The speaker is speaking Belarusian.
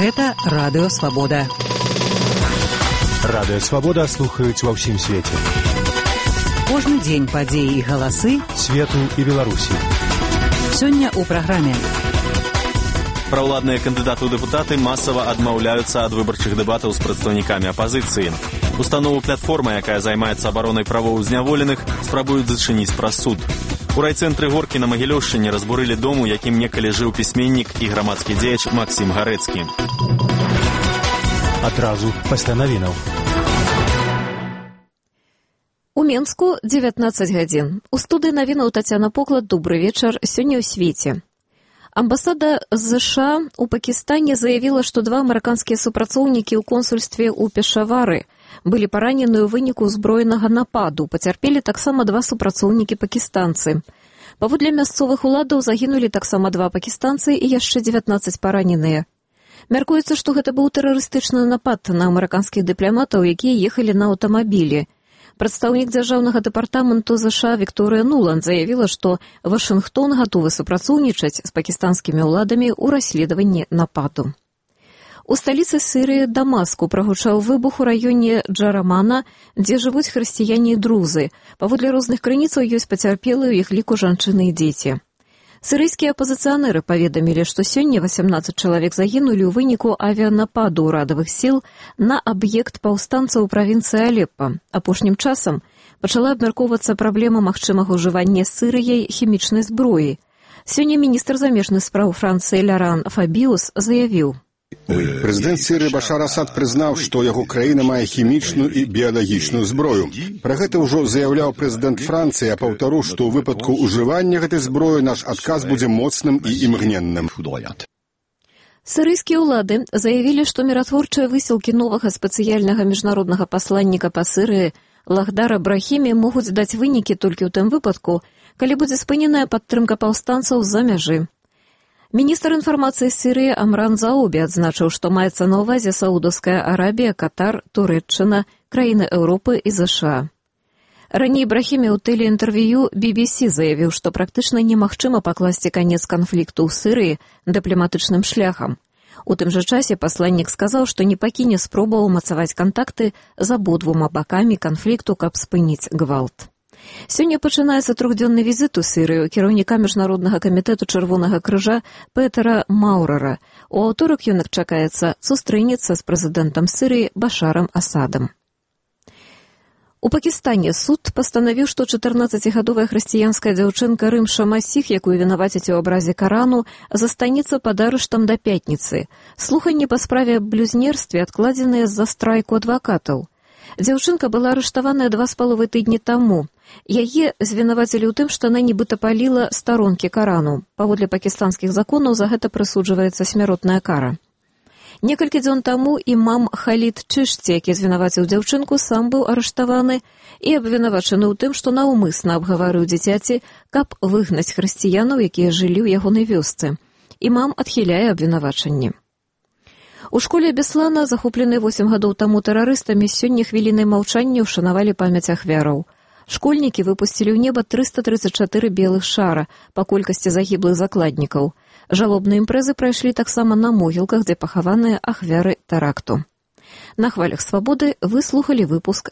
Гэта Радыё Свабода. Радыё Свабода слухаюць ва ўсім свеце. Кожны дзень падзеі і галасы свету і Беларусі. Сёння ў праграме. Праўладныя кандыдаты ў дэпутаты масава адмаўляюцца ад выбарчых дэбатаў з прадстаўнікамі апазіцыі. Установу платформа, якая займаецца абаронай правоў зняволеных, спрабуюць зачыніць праз суд. У райцэнтры Горкі на Магілёўшчыне разбурылі дом, у якім некалі жыў пісьменнік і грамадскі дзеяч Максім Гарэцкі. Адразу пасля навінаў. У Менску 19 гадзін. У студыі навінаў Тацяна Поклад. Добры вечар. Сёння ў свеце. Амбасада США ў Пакістане заявіла, што два амерыканскія супрацоўнікі ў консульстве ў Пешавары былі паранены ў выніку ўзброенага нападу. Пацярпелі таксама два супрацоўнікі пакістанцы. Паводле мясцовых уладаў загінулі таксама два пакістанцы і яшчэ 19 параненыя. Мяркуецца, што гэта быў тэрарыстычны напад на амерыканскіх дыпламатаў, якія ехалі на аўтамабілі. Прадстаўнік дзяржаўнага дэпартаменту США Вікторыя Нуланд заявіла, што Вашынгтон гатовы супрацоўнічаць з пакістанскімі ўладамі ў расследаванні нападу. У сталіцы Сірыі Дамаску прагучаў выбух у раёне Джарамана, дзе жывуць хрысціяне і друзы. Паводле розных крыніцаў ёсць пацярпелыя, у іх ліку жанчыны і дзеці. Сірыйскія апазіцыянеры паведамілі, што сёння 18 чалавек загінулі ў выніку авіянападу ўрадавых сіл на аб'ект паўстанцаў у правінцыі Алеппа. Апошнім часам пачала абмяркоўвацца праблема магчымага ўжывання Сірыяй хімічнай зброі. Сёння міністр замежных спраў Францыі Ляран Фабіус заявіў: Прэзідэнт Сірыі Башар Асад прызнаў, што яго краіна мае хімічную і біялагічную зброю. Пра гэта ўжо заяўляў прэзідэнт Францыі, а паўтару, што ў выпадку ўжывання гэтай зброі наш адказ будзе моцным і імгненным. Сірыйскія ўлады заявілі, што міратворчыя высілкі новага спецыяльнага міжнароднага пасланніка па Сірыі Лахдара Брахімі могуць даць вынікі толькі ў тым выпадку, калі будзе спыненая падтрымка паўстанцаў з-за мяжы. Міністр інфармацыі Сірыі Амран Заобі адзначыў, што маецца на ўвазе Саудаўская Арабія, Катар, Турэччына, краіны Еўропы і ЗША. Раней Брахімі ў тэлеінтэрв'ю BBC заявіў, што практычна немагчыма пакласці канец канфлікту ў Сірыі дыпламатычным шляхам. У тым жа часе пасланнік сказаў, што не пакіне спробаў умацаваць кантакты з абодвума бакамі канфлікту, каб спыніць гвалт. Сёння пачынаецца трохдзённы візіт у Сірыю кіраўніка Міжнароднага камітэту Чырвонага крыжа Петера Маўрара. У аўторак ён чакаецца сустрэнецца з прэзідэнтам Сірыі Башарам Асадам. У Пакістане суд пастанавіў, што 14-гадовая хрысціянская дзяўчынка Рымша Масіх, якую вінавацяць у абразе Карану, застанецца пад арыштам да пятніцы. Слуханні па справе аб блюзнерстве адкладзеныя з-за страйку адвакатаў. Дзяўчынка была арыштаваная 2,5 тыдні таму. Яе звінавацілі ў тым, што яна нібыта паліла старонкі Карану. Паводле пакістанскіх законаў за гэта прысуджваецца смяротная кара. Некалькі дзён таму імам Халід Чышці, які звінаваціў дзяўчынку, сам быў арыштаваны і абвінавачаны ў тым, што наўмысна абгаварыў дзіцяці, каб выгнаць хрысціянаў, якія жылі ў ягонай вёсцы. Імам адхіляе абвінавачанні. У школе Беслана, захопленай 8 гадоў таму тэрарыстамі, сёння хвілінай маўчання ўшанавалі памяць ахвяраў. Школьнікі выпусцілі ў неба 334 белых шара па колькасці загіблых закладнікаў. Жалобныя імпрэзы прайшлі таксама на могілках, дзе пахаваныя ахвяры тэракту. На хвалях свабоды вы слухалі выпуск